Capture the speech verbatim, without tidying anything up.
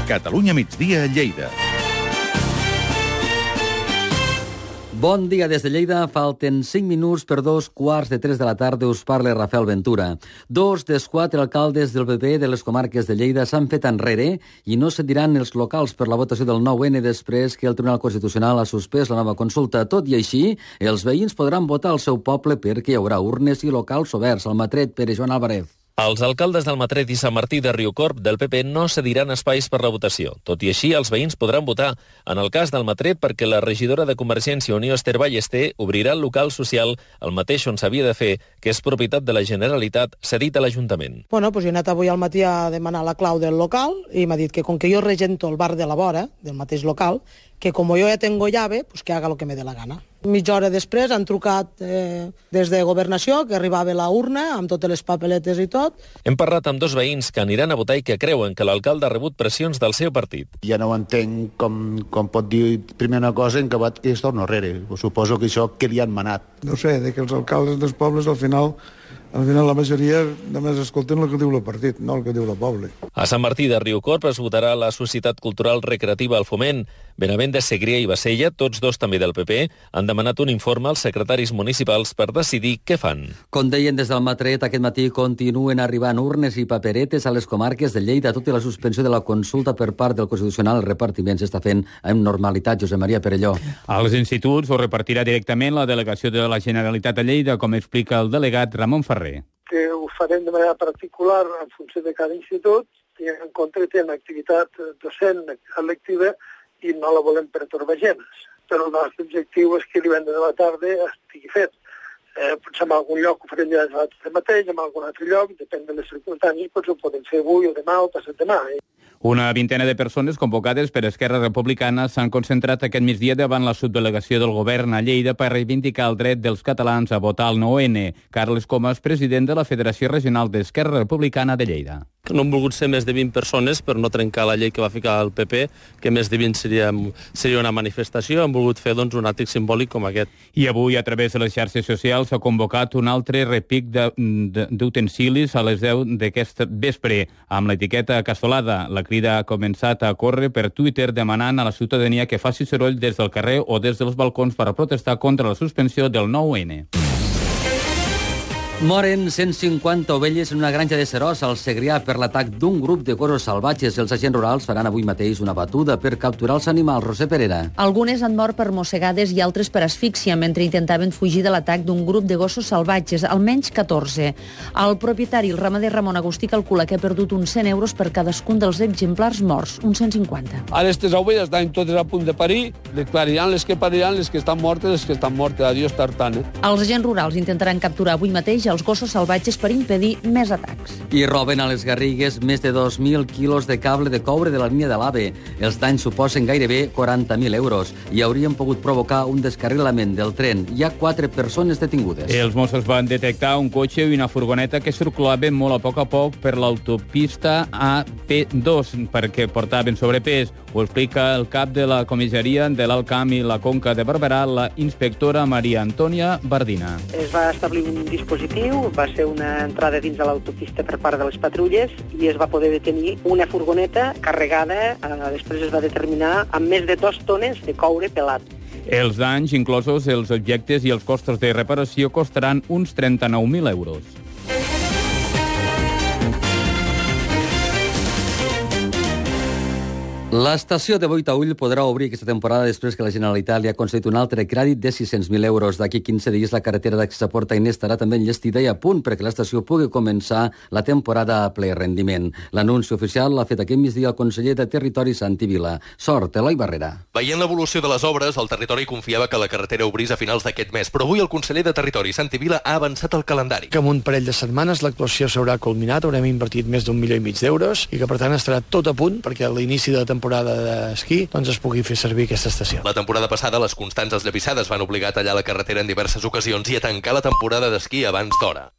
Catalunya migdia a Lleida. Bon dia des de Lleida. Falten cinc minuts per dos quarts de tres de la tarda. Us parla Rafael Ventura. Dos dels quatre alcaldes del P P de les comarques de Lleida s'han fet enrere i no cediran els locals per la votació del nou ene després que el Tribunal Constitucional ha suspès la nova consulta. Tot i així, els veïns podran votar al seu poble perquè hi haurà urnes i locals oberts. El matret Pere Joan Álvarez. Els alcaldes d'Almatret i Sant Martí de Riucorb del P P no cediran espais per la votació. Tot i així, els veïns podran votar. En el cas d'Almatret, perquè la regidora de Convergència i Unió, Esther Ballester, obrirà el local social, el mateix on s'havia de fer, que és propietat de la Generalitat, cedit a l'Ajuntament. Bueno, pues jo he anat avui al matí a demanar la clau del local i m'ha dit que com que jo regento el bar de la vora, del mateix local, que com jo ja tengo llave, pues que haga lo que me dé la gana. Mitja hora després han trucat eh, des de Governació, que arribava la urna amb totes les papeletes i tot. Hem parlat amb dos veïns que aniran a votar i que creuen que l'alcalde ha rebut pressions del seu partit. Ja no entenc com, com pot dir primer una cosa en acabat que es torna enrere. Suposo que això que li han manat. No sé, de que els alcaldes dels pobles al final... Al final la majoria només escolten el que diu el partit, no el que diu el poble. A Sant Martí de Riucorb es votarà la Societat Cultural Recreativa al Foment. Benavent de Segrià i Bassella, tots dos també del P P, han demanat un informe als secretaris municipals per decidir què fan. Com deien des del Matret, aquest matí continuen arribant urnes i paperetes a les comarques de Lleida. Tot i la suspensió de la consulta per part del Constitucional, el repartiment s'està fent amb normalitat. Josep Maria Perelló. Als instituts ho repartirà directament la delegació de la Generalitat a Lleida, com explica el delegat Ramon Ferrer. Que ho farem de manera particular en funció de cada institut, i en concret en activitat docent electiva i no la volem pertorbar gens. Però el nostre objectiu és que divendres de la tarda estigui fet. Eh, potser en algun lloc ho farem ja de mateix, en algun altre lloc, depèn de les circumstàncies, potser ho podem fer avui o demà o passat demà. Eh? Una vintena de persones convocades per Esquerra Republicana s'han concentrat aquest migdia davant la subdelegació del govern a Lleida per reivindicar el dret dels catalans a votar el nou ene. Carles Comas, president de la Federació Regional d'Esquerra Republicana de Lleida. No han volgut ser més de vint persones per no trencar la llei que va ficar el P P, que més de vint seria, seria una manifestació. Han volgut fer doncs, un àtic simbòlic com aquest. I avui, a través de les xarxes socials, s'ha convocat un altre repic d'utensilis a les deu d'aquest vespre, amb l'etiqueta Casolada. La crida ha començat a córrer per Twitter demanant a la ciutadania que faci soroll des del carrer o des dels balcons per a protestar contra la suspensió del nou ene. Moren cent cinquanta ovelles en una granja de Seròs al Segrià per l'atac d'un grup de gossos salvatges. Els agents rurals faran avui mateix una batuda per capturar els animals. Roser Perera. Algunes han mort per mossegades i altres per asfíxia mentre intentaven fugir de l'atac d'un grup de gossos salvatges, almenys catorze. El propietari, el ramader Ramon Agustí, calcula que ha perdut uns cent euros per cadascun dels exemplars morts, uns cent cinquanta. Ara aquestes ovelles estan totes a punt de parir, declariran les que pariran, les que estan mortes, les que estan mortes. Adiós tartana. Els agents rurals intentaran capturar avui mateix els gossos salvatges per impedir més atacs. I roben a les Garrigues més de dos mil quilos de cable de coure de la línia de l'AVE. Els danys suposen gairebé quaranta mil euros i haurien pogut provocar un descarrilament del tren. Hi ha quatre persones detingudes. Els Mossos van detectar un cotxe i una furgoneta que circulaven molt a poc a poc per l'autopista A P dos perquè portaven sobrepès. Ho explica el cap de la comissaria de l'Alt Camp i la Conca de Barberà, la inspectora Maria Antònia Bardina. Es va establir un dispositiu, va ser una entrada dins de l'autopista per part de les patrulles i es va poder detenir una furgoneta carregada, eh, després es va determinar, amb més de dos tones de coure pelat. Els danys, inclosos els objectes i els costos de reparació, costaran uns trenta-nou mil euros. L'estació de Boitaüll podrà obrir aquesta temporada després que la Generalitat li ha concedit un altre crèdit de sis-cents mil euros. D'aquí quinze dies la carretera d'accés a Port Ainé estarà també enllestida i a punt perquè l'estació pugui començar la temporada a ple rendiment. L'anunci oficial l'ha fet aquest migdia el conseller de Territori Santi Vila. Sort, Eloi Barrera. Veient l'evolució de les obres, el territori confiava que la carretera obrís a finals d'aquest mes, però avui el conseller de Territori Santi Vila ha avançat el calendari. Que en un parell de setmanes l'actuació s'haurà culminat, haurem invertit més d'un milió i mig d'euros i que per tant estarà tot a punt perquè a l'inici de la temporada d'esquí doncs es pugui fer servir aquesta estació. La temporada passada les constants esllavissades van obligar a tallar la carretera en diverses ocasions i a tancar la temporada d'esquí abans d'hora.